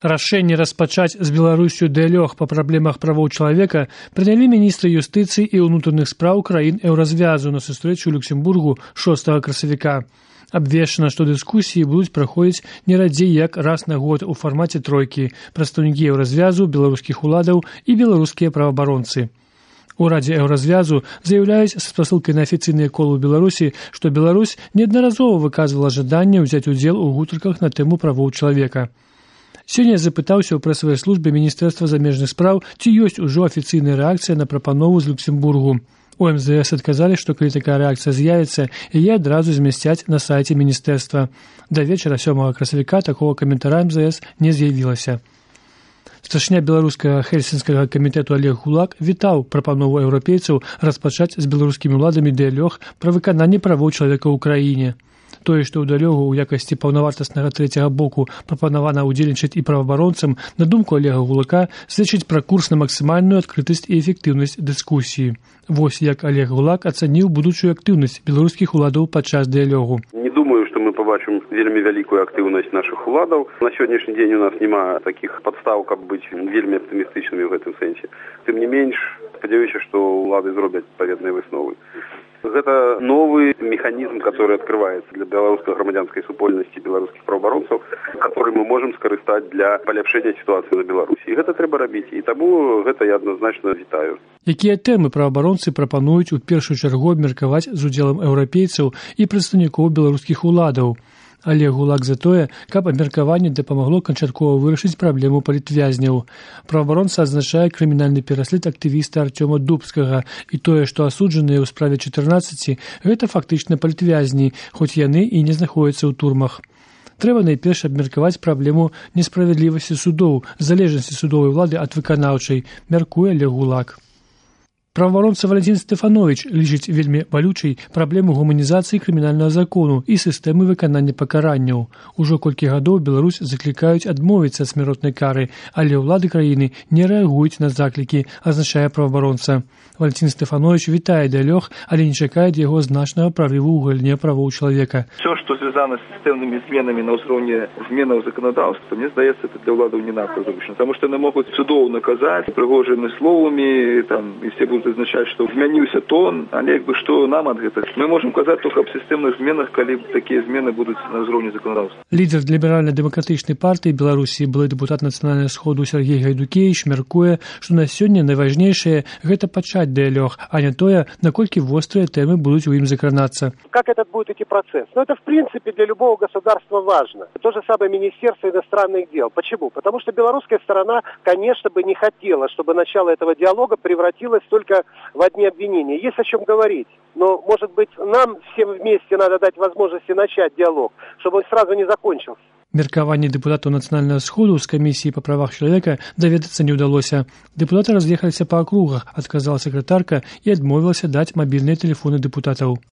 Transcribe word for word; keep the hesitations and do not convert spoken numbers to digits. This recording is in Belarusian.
Рашэнне распачаць з Беларусю дыялог па праблемах правоў чалавека прынялі міністры юстыцыі і ўнутраных спраў краін еўразвязу на сустрэчу ў Люксембургу шостага красавіка. Абвешчана, што дыскусіі будуць праходзіць не радзей як раз на год у фармаце тройкі прадстаўнікі еўразвязу, беларускіх уладаў і беларускія праваабаронцы. У Радзе еўразвязу заяўляюць са спасылкай на афіцыйныя колы ў Беларусі, што Беларусь неаднаразова выказвала жаданне ўзяць удзел у гутарках на тэму правоў чалавека. Сёння запытаўся ў прэсавай службе Міністэрства замежных спраў, ці ёсць ужо афіцыйная рэакцыя на прапанову з Люксембургу. У эм зэ эс адказалі, што калі такая рэакцыя з'явіцца, яе адразу змясцяць на сайце міністэрства. Да вечара сёмага красавіка такога каментара эм зэ эс не з'явілася. Старшыня беларускага хельсінскага камітэту Олег Гулак вітаў прапанову еўрапейцаў распачаць з беларускімі ўладамі дыялог пра выкананне правоў чалавека ў краіне. Тое, што ў дыялогу ў якасці паўнавартаснага трэцяга боку прапанавана ўдзельнічаць і праваабаронцам, на думку Олега Гулака, сведчыць пра курс на максімальную адкрытасць і эфектыўнасць дыскусіі. Вось як Олег Гулак ацаніў будучую актыўнасць беларускіх уладаў падчас дыялогу. Не думаю, што мы побачым вельмі вялікую актыўнасць нашых уладаў. На сённяшні дзень у нас няма такіх падстаў, каб быць вельмі аптымістычнымі ў гэтым сэнсе. Тым не менш, спадзяюся, што улады зробяць адпаведныя высновы. Гэта новы механізм, который открывается для беларускай грамадзянскай супольнасці, беларускіх праваабаронцаў, который мы можем скарыстаць для паляпшэння сітуацыі на Беларусі. І гэта трэба рабіць, і таму гэта я адназначна вітаю. Якія тэмы праваабаронцы прапануюць у першую чаргу абмеркаваць з удзелам еўрапейцаў і прадстаўнікоў беларускіх уладаў? Олег Гулак за тое, каб абмеркаванне дапамагло канчаткова вырашыць праблему палітвязняў. Праваабаронца адзначае крымінальны пераслед актывіста Артёма Дубскага і тое, што асуджаныя ў справе чатырнаццаці, гэта фактычна палітвязні, хоць яны і не знаходзяцца ў турмах. Трэба найперш абмеркаваць праблему несправядлівасці судоў, залежнасці судовай улады ад выканаўчай, мяркуе Олег Гулак. Праваабаронца Валентин Стефанович лічыць вельмі балючай праблему гуманізацыі крымінальнага закону і сістэмы выканання пакаранняў. Ужо колькі гадоў Беларусь заклікаюць адмовіцца ад смяротнай кары, але ўлады краіны не рэагуюць на заклікі, азначае праваабаронца. Валентин Стефанович вітае дыялог, але не чакае ад яго значнага прарыву ў галіне правоў чалавека. Все, что связано с системными изменами на уровне изменов законодательства, мне здаецца, это для владов не надо зручно, потому что они могут судов наказать пригожими словами, там, и все будут означать, что изменился тон, а не что нам от этого. Мы можем сказать только об системных изменах, когда такие измены будут на уровне законодательства. Лидер ліберальна-дэмакратычнай партыі Беларусі, былы дэпутат нацыянальнага сходу Сергей Гайдукевич мяркуе, што на сёння найважнейшае гэта пачаць дыялог, а не тое, наколькі вострыя тэмы будуць у ім закранацца. Как этот будет идти процесс? Ну, это в принципе для любого государства важно. То же самое Министерство иностранных дел. Почему? Потому что белорусская сторона, конечно, бы не хотела, чтобы начало этого диалога превратилось только в одни обвинения. Есть о чем говорить. Но, может быть, нам всем вместе надо дать возможности начать диалог, чтобы он сразу не закончился. Меркаванне дэпутатаў нацыянальнага сходу з камісіі па правах чалавека даведацца не ўдалося. Дэпутаты раз'ехаліся па акругах, адказала сакратарка і адмовілася даць мабільныя тэлефоны дэпутатаў.